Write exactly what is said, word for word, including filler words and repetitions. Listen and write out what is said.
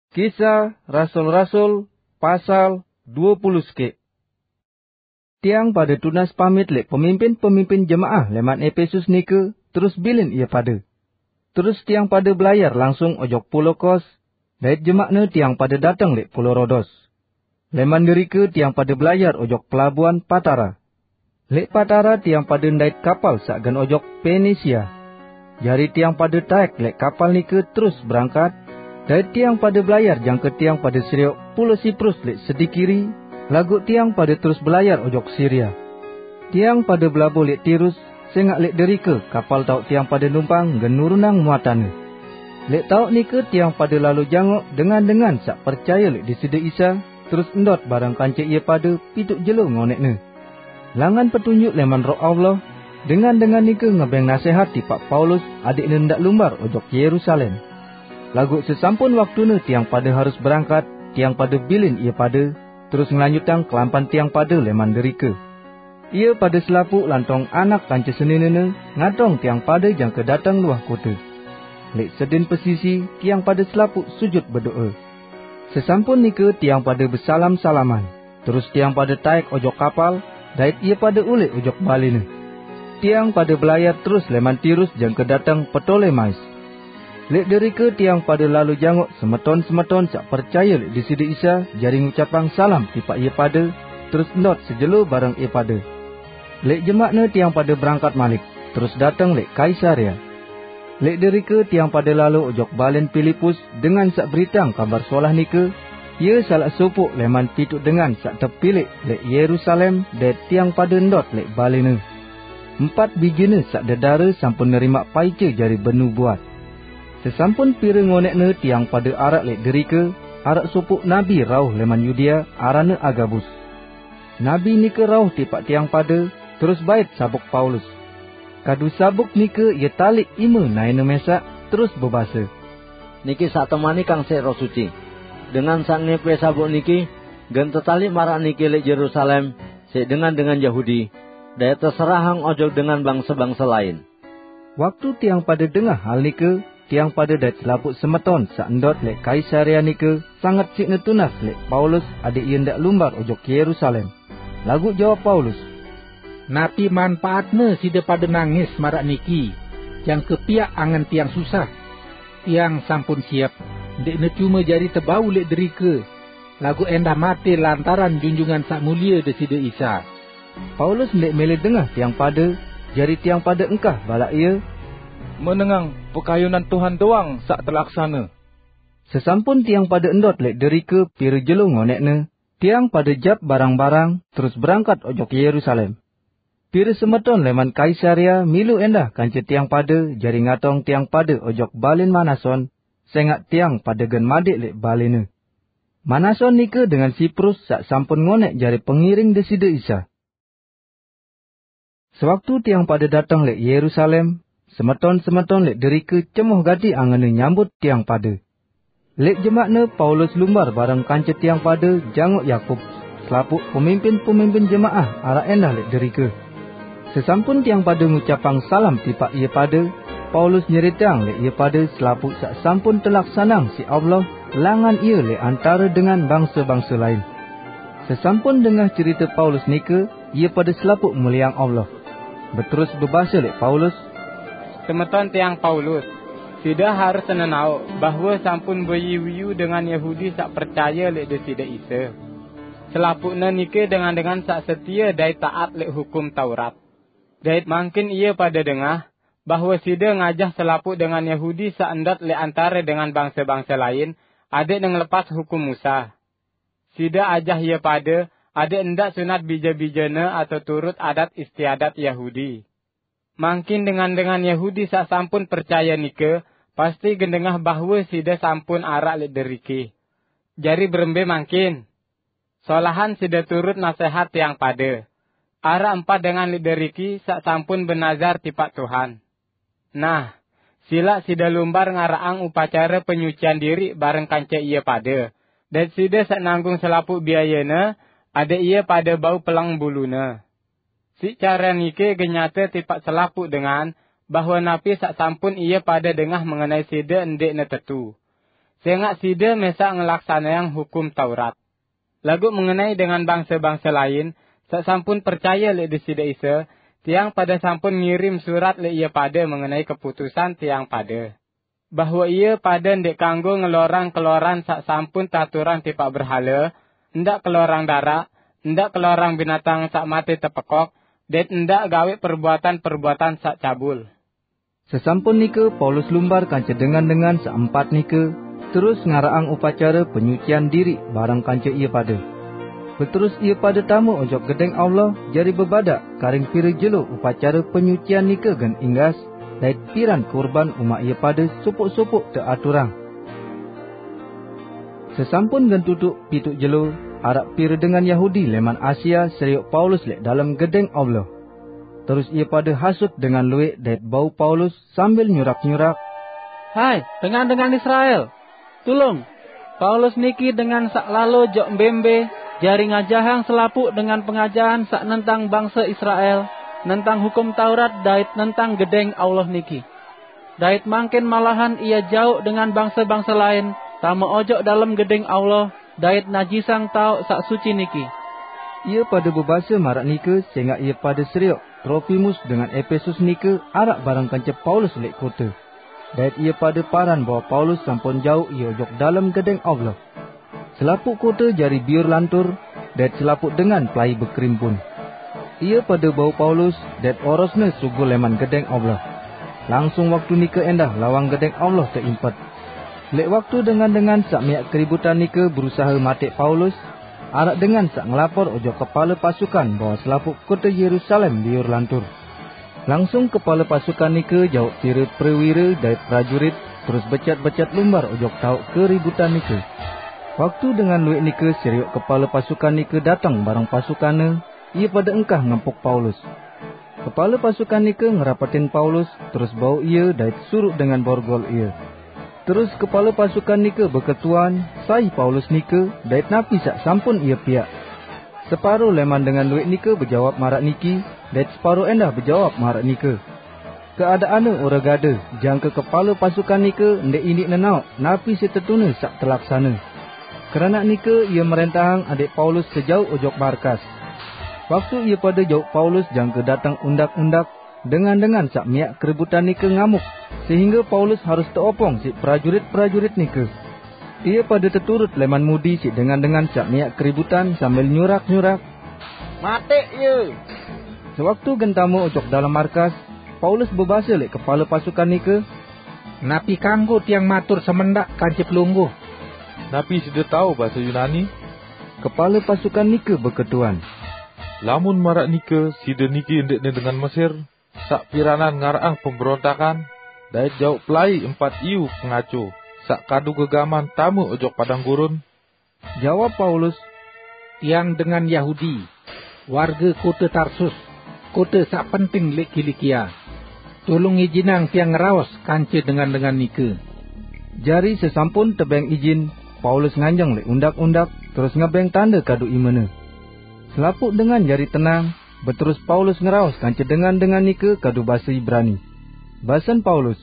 Kisah Rasul-Rasul, pasal dua puluh sekik. Tiang pada tunas pamit lek pemimpin-pemimpin jemaah leman Epesus nike, terus bilin ia pada. Terus tiang pada belayar langsung ojok Pulo Kos, dait jemakne tiang pada dateng lek Pulo Rodos. Leman derike tiang pada belayar ojok pelabuhan Patara. Lek Patara tiang pada ndait kapal saq gen ojok Penisia. Jari tiang pada taek lek kapal nike terus berangkat, dait tiang pada belayar jangke tiang pada seriok Pulo Siprus lek sedi kiri, laguq tiang pada terus belayar ojok Siria. Tiang pada belabuh lek Tirus, sengaq lek derike kapal taoq tiang pada numpang gen nurunang muatanne. Lek taoq nike tiang pada lalo jangok dengan-dengan saq percaye lek Deside Isa, terus ndot bareng kance ie pada pituq jelo ngonekne. Langan petunjuk leman Roh Allah, dengan-dengan nike ngebeng nasehat tipaq Paulus adeqne ndaq lumbar ojok Yerusalem. Laguq sesampun waktune tiang pada harus berangkat, tiang pada bilin ie pada, terus ngelanjutang kelampan tiang pada leman derike. Ie pada selapuq lantong anak kance seninene ngatong tiang pada jangke dateng luah kote. Lek sedin pesisi tiang pada selapuq sujut bedoe. Sesampun nike tiang pada besalam-salaman, terus tiang pada taek ojok kapal, dait ie pada uleq ojok balene. Tiang pada belayar terus leman Tirus jangke dateng Ptolemais. Lek derike tiang pada lalo jangok semeton-semeton saq percaye lek Deside Isa jari ngucapang salam tipaq ie pada, terus ndot sejelo bareng ie pada. Lek jemakne tiang pada berangkat malik, terus dateng lek Kaisarea. Lek derike tiang pada lalo ojok balen Pilipus dengan saq beritang Kabar Solah nike, ie salaq sopoq leman pituq dengan saq tepilek lek Yerusalem dait tiang pada ndot lek balene. Empat bijene saq dedare sampun nerimaq paice jari benubuat. Sesampun pire ngonekne tiang pada araq lek derike, araq sopoq nabi rauh leman Yudea, aranne Agabus. Nabi nike rauh tipaq tiang pada, terus bait sabuk Paulus. Kadu sabuk nike ie taliq ime naene mesaq, terus bebase, "Niki saq temanikang siq Roh Suci. Dengan saq ngepe sabuk niki, gen tetaliq maraq niki lek Yerusalem, siq dengan-dengan Yahudi, dait teserahang ojok dengan bangse-bangse lain." Waktu tiang pada dengah hal nike, tiang pada dait selapuq semeton saq ndot lek Kaisarea nike sanget siqne tunas lek Paulus adeq ie ndaq lumbar ojok Yerusalem. Laguq jawab Paulus, "Napi manpaatne side pade nangis maraq niki, jangke piaq angen tiang susah? Tiang sampun siep, ndeqne cume jari tebau lek derike, laguq endah mate lantaran Junjungan Saq Mulie Deside Isa." Paulus ndeq mele dengah tiang pade, jari tiang pade engkah balaq ie, "Menengang pekayunan Tuhan doang saq telaksane." Sesampun tiang pade ndot lek derike pire jelo ngonekne, tiang pade jap barang-barang, terus berangkat ojok Yerusalem. Pire semeton leman Kaisarea milu endah kance tiang pade jari ngatong tiang pade ojok balen Manason, sengaq tiang pade gen madeq lek balene. Manason nike dengan Siprus saq sampun ngonek jari pengiring Deside Isa. Sewaktu tiang pade dateng lek Yerusalem, semeton-semeton lek derike cemoh gati angenne nyambut tiang pade. Lek jemakne Paulus lumbar bareng kance tiang pade jangok Yakub, selapuq pemimpin-pemimpin jemaah araq endah lek derike. Sesampun tiang pade ngucapang salam tipaq ie pade, Paulus nyeriteang lek ie pade selapuq saq sampun telaksanang siq Allah langan ie lek antare dengan bangse-bangse lain. Sesampun dengah cerite Paulus nike, ie pade selapuq muliang Allah. Beterus bebase lek Paulus, "Semeton tiang Paulus, side harus nenaoq bahwe sampun beyu-yu dengan Yahudi saq percaye lek Deside Isa. Selapuqne nike dengan-dengan saq setie dait taat lek Hukum Taurat. Dait mangkin ie pade dengah bahwe side ngajah selapuq dengan Yahudi saq ndot lek antare dengan bangse-bangse lain, adeqne ngelepas Hukum Musa. Side ajah ie pade adeq ndaq sunat bije-bijene atau turut adat istiadat Yahudi. Mangkin dengan-dengan Yahudi saq sampun percaye nike pasti gen dengah bahwe side sampun araq lek deriki. Jari berembe mangkin? Solahan side turut nasehat tiang pade. Araq empat dengan lek deriki saq sampun benazar tipaq Tuhan. Nah, silaq side lumbar ngaraqang upacare penyucian diriq bareng kance ie pade, dait side saq nanggung selapuq biayene, adeq ie pade bau peleng bulune. Siq care nike gen nyate tipaq selapuq dengan bahwe napi saq sampun ie pade dengah mengenai side ndeqne tetu. sengaq side mesaq ngelaksaneang Hukum Taurat. Laguq mengenai dengan bangse-bangse lain saq sampun percaye leq Deside Isa, tiang pade sampun ngirim surat leq ie pade mengenai keputusan tiang pade, bahwe ie pade ndeq kanggo ngelorang keloran saq sampun taturang tipaq berhale, ndaq kelorang daraq, ndaq kelorang binatang saq mate tepekok, dait ndaq gaweq perbuatan-perbuatan saq cabul. Sesampun nike Paulus lumbar kance dengan-dengan saq empat nike, terus ngaraqang upacare penyucian diriq bareng kance ie pade. Beterus ie pade tame ojok Gedeng Allah jari bebadaq karing pire jelo upacare penyucian nike gen inggas, dait piran kurban umaq ie pade sopoq-sopoq teaturang. Sesampun gen tutuq pituq jelo, araq pire dengan Yahudi leman Asia serioq Paulus leq dalem Gedeng Allah. Terus ie pade hasut dengan lueq dait bau Paulus sambil nyurak-nyurak, "Hai, dengan-dengan Israel! Tulung! Paulus niki dengan saq lalo jok mbembe jari ngajahang selapuq dengan pengajahan saq nentang bangse Israel, nentang Hukum Taurat dait nentang Gedeng Allah niki. Dait mangkin malahan ie jauq dengan bangse-bangse lain tame ojok dalem Gedeng Allah dait najisang taoq saq suci niki." Ie pade bebase maraq nike sengaq ie pade serioq Tropimus dengan Epesus nike araq bareng kance Paulus leq kote. Dait ie pade paran bahwe Paulus sampun jauq ie ojok dalem Gedeng Allah. Selapuq kote jari biur lantur, dait selapuq dengan pelai bekerimpun. Ie pade bau Paulus dait orosne sugul leman Gedeng Allah. Langsung waktu nike endah lawang Gedeng Allah teimpet. Leq waktu dengan-dengan saq miaq keributan nike berusahe mateq Paulus, araq dengan saq ngelapor ojok kepale pasukan bahwe selapuq kote Yerusalem biur lantur. Langsung kepale pasukan nike jauq pire prewire dait prajurit, terus becat-becat lumbar ojok taoq keributan nike. Waktu dengan lueq nike serioq kepale pasukan nike dateng bareng pasukanne, ie pade engkah ngempuk Paulus. Kepale pasukan nike ngerapetin Paulus, terus bau ie dait suruq dengan borgol ie. Terus kepale pasukan nike beketuan sai Paulus nike dait napi saq sampun ie piaq. Separo leman dengan lueq nike bejawab maraq niki, dait separo endah bejawab maraq nike. Keadaanne ore gade, jangke kepale pasukan nike ndeq iniq nenaoq napi sitetune saq telaksane. Keranaq nike ie merentahang adeq Paulus sejauq ojok markas. Waktu ie pade jauq Paulus jangke dateng undak-undak, dengan-dengan saq miaq keributan nike ngamuk, sehingge Paulus harus teopong siq prajurit-prajurit nike. Ie pade teturut leman mudi siq dengan-dengan saq miaq keributan sambil nyurak-nyurak, "Mateq ie!" Sewaktu gen tame ojok dalem markas, Paulus bebase leq kepale pasukan nike, "Napi kanggo tiang matur semendaq kance pelungguh?" "Napi side tao base Yunani?" kepale pasukan nike beketuan. "Lamun maraq nike side niki ndeqne dengan Mesir, saq piranan ngaraqang pemberontakan, dait jauq pelai empat iu pengaco, saq kadu gegaman tame ojok padang gurun?" Jawab Paulus, "Tiang dengan Yahudi, warge kote Tarsus, kote saq penting leq Kilikia. Tulung ijinang tiang ngeraos kance dengan-dengan nike." Jari sesampun tebeng ijin, Paulus nganjeng leq undak-undak, terus ngebeng tande kadu imene. Selapuq dengan jari tenang, beterus Paulus ngeraos kance dengan-dengan nike kadu base Ibrani. Basen Paulus,